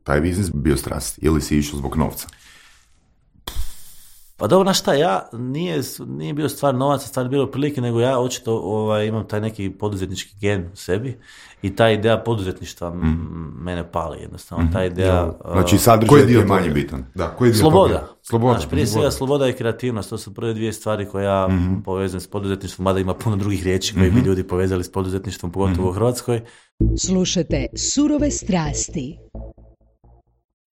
taj biznis bio strast ili si išao zbog novca? Pa dobro, znaš šta, nije bio stvar novaca, stvar bilo prilike, nego ja očito imam taj neki poduzetnički gen u sebi i ta ideja poduzetništva mene pali jednostavno. Ta ideja... Znači sadržaj je manje bitan. Da, koji dio sloboda. Sloboda. Znači, prije svega sloboda i kreativnost, to su prve dvije stvari koje ja povezujem s poduzetništvom, mada ima puno drugih riječi koje bi ljudi povezali s poduzetništvom, pogotovo u Hrvatskoj. Slušajte Surove strasti.